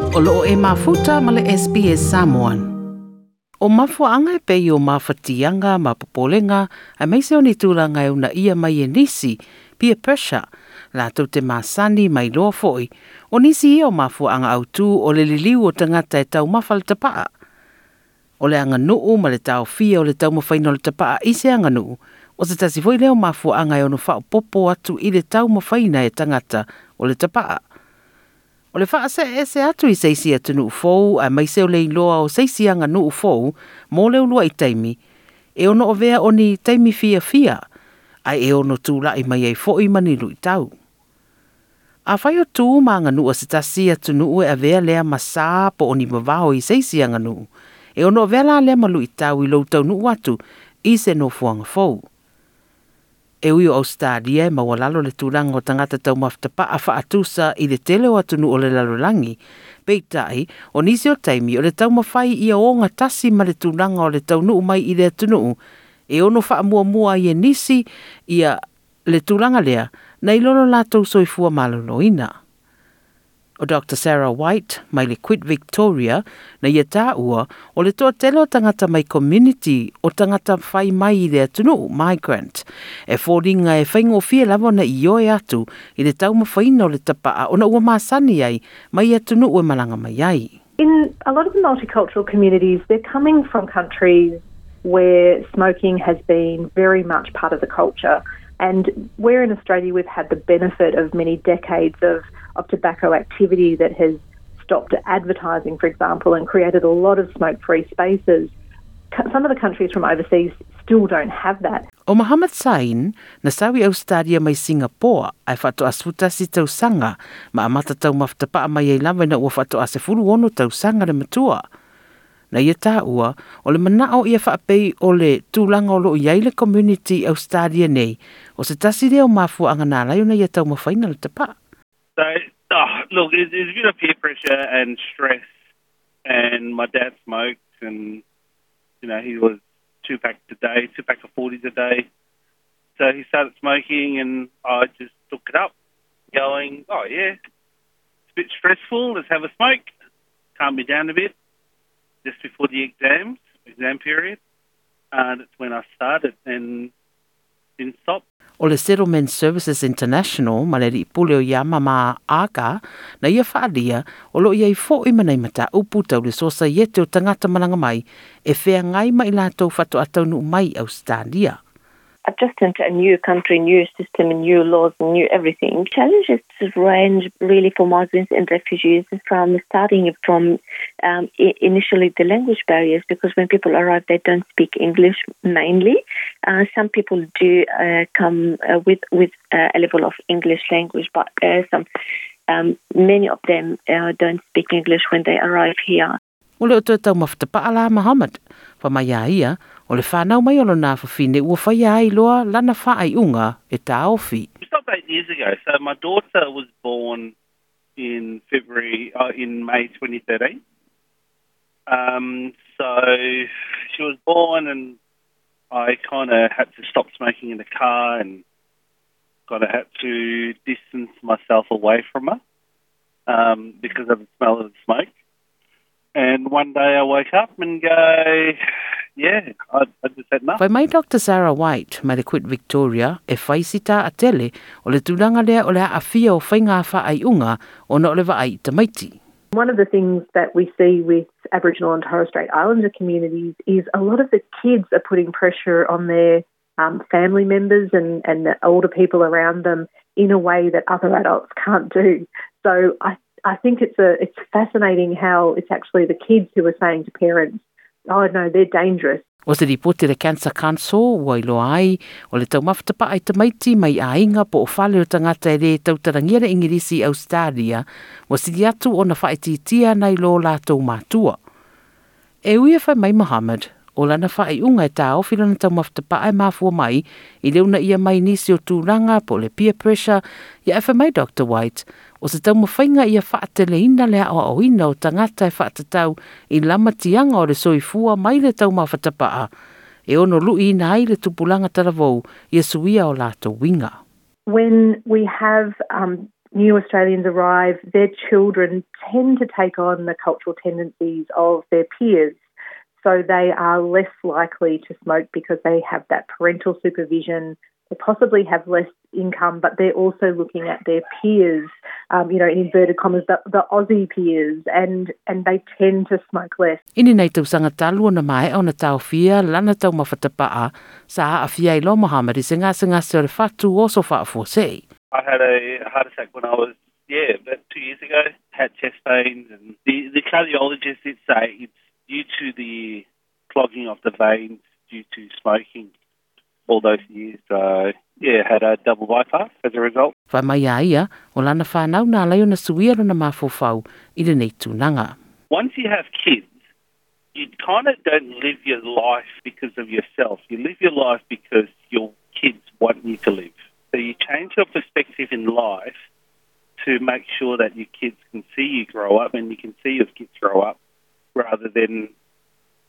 O loo e mafuta ma le SBS Samoan. O mafuaanga e pei o mafatiaga ma popolega aemaise o ni tulaga e uunaia mai e nisi, peer pressure, latou te masani ma iloa foi, o nisi ia o mafuaaga autū o le liliu o tagata e taumafa le tapa'a. O le aganuu ma le taofia o le taumafaiina o le tapa'a i se aganuu, o se tasi foi lea o mafuaaga e ono faaopoopo atu i le taumafaina e tagata o le tapa'a. O le faase'eese atu i se isi atunuu fou aemaise o le iloa o se isi aganuu fou mo le ulua'i taimi, e ono avea o ni taimi fiafia, ae e ono tula'i mai ai fo'i ma ni lu'itau. Afai o tu ma aganuu a se tasi atunuu e avea lea ma sā po o ni vavao i se isi aganuu, e ono avea la lea ma lu'itau i lou taunuu atu i se nofoaga fou. E ui o Ausetalia e maualalo le tulaga o tagata taumafa tapa'a fa'atusa i le tele o atunuu o le lalolagi, peitai, o nisi o taimi o le taumafai ia ogatasi ma le tulaga o le taunuu mai i le atunuu, e ono fa'amuamua ai e nisi ia le tulaga lea nai lo lo latou soifua maloloina. O Dr. Sarah White mai le Quit Victoria na ia tāua o le toatele o tagata mai community o tagata fai mai i le atunuu, migrant, e foliga e faigofie lava ona ioe atu i le taumafaina o le tapa'a ona ua masani ai mai atunuu e malaga mai ai. In a lot of the multicultural communities, they're coming from countries where smoking has been very much part of the culture. And where in Australia we've had the benefit of many decades of tobacco activity that has stopped advertising, for example, and created a lot of smoke-free spaces, some of the countries from overseas still don't have that. O Muhammad Sain, na sau i Ausetalia mai Singapoa, ae faatoa 11 tausaga, ma amata taumafa tapa'a mai ai lava ina ua faatoa 16 tausaga le matua. Na ia tāua, o le mana'o ia faapei o le tulaga o loo i ai le community Australia nei, o se tasi lea o mafuaaga na ala ai ona ia taumafaina le tapa'a. So, oh, look, it's a bit of peer pressure and stress, and my dad smoked, and he was two packs a day, two pack of 40s a day. So he started smoking, and I just took it up, going, "Oh yeah, it's a bit stressful, let's have a smoke, calm me down a bit," just before the exams, exam period. That's when I started and didn't stop. O le Settlement Services International ma le alii pule o Iama ma Aga na ia faalia o loo i ai fo'i ma nai mataupu tau le sosaiete o tagata malaga mai e feagai ma i latou faatoa taunuu mai Ausetalia. Adjusting to a new country, new system, new laws, new everything. Challenges range really for migrants and refugees from starting from initially the language barriers, because when people arrive, they don't speak English mainly. Some people do come with a level of English language, but some many of them don't speak English when they arrive here. Ua le o toe taumafa tapa'a la Muhammad. Fai mai a ia, o le fanau mai o lona afafine ua faia ai loa lana faaiuga e taofi. We stopped 8 years ago. So my daughter was born in February, in May 2013. So she was born and I kind of had to stop smoking in the car and kind of had to distance myself away from her because of the smell of the smoke. And one day I woke up and go, "Yeah, I just had enough." Fai mai Dr. Sarah White mai le Quit Victoria e fai si taatele o le tulaga lea o le aafia o faiga faaiuga ona o le vaai i tamaiti. One of the things that we see with Aboriginal and Torres Strait Islander communities is a lot of the kids are putting pressure on their family members and the older people around them in a way that other adults can't do. So I think it's fascinating how it's actually the kids who are saying to parents, "Oh no, they're dangerous." O se ripoti a le Cancer Council ua iloa ai o le taumafa tapa'a i tamaiti mai aiga po o fale o tagata e lē tautalagia le Igilisi Ausetalia ua sili atu ona faaitiitia nai lo latou matua. E ui e fai mai Muhammad, o lana faaiuga e taofi lona taumafa tapa'a e mafua mai i le uunaia mai nisi o tulaga po o le peer pressure ia e fai mai Dr. White, o se taumafaiga ia faateleina le aoaoina o tagata e faatatau i lamatiaga o le soifua mai le taumafa tapa'a e ono lu'iina ai le tupulaga talavou ia suia o latou uiga. When we have new Australians arrive, their children tend to take on the cultural tendencies of their peers. So they are less likely to smoke because they have that parental supervision. They possibly have less income, but they're also looking at their peers, in inverted commas, the Aussie peers, and they tend to smoke less. I ni nei tausaga talu ona maea ona taofia lana taumafa tapa'a sa a'afia ai loa Mohamad i se gasegase o le fatu oso fa'afuasei. I had a heart attack when I was, yeah, about 2 years ago. Had chest pains, and the cardiologist did say it's due to the clogging of the veins due to smoking all those years. So, yeah, had a double bypass as a result. Fai mai a ia, o lana whānau na ala ai ona suia lona mafaufau i lenei tulaga. Once you have kids, you kind of don't live your life because of yourself. You live your life because your kids want you to live. So you change your perspective in life to make sure that your kids can see you grow up and you can see your kids grow up rather than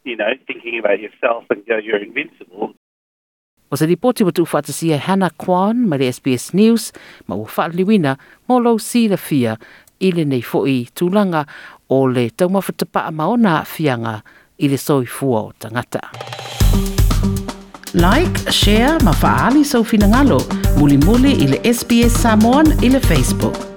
thinking about yourself and go, you're invincible. O se lipoti ua tuufaatasia e Hannah Kwan mai le SBS News ma ua faaliliuina mo lou silafia i lenei fo'i tulaga o le taumafa tapa'a ma ona a'afiaga i le soifua o tagata. Like, share ma fa'aali sou finagalo. Mulimuli i le SBS Samoan i le Facebook.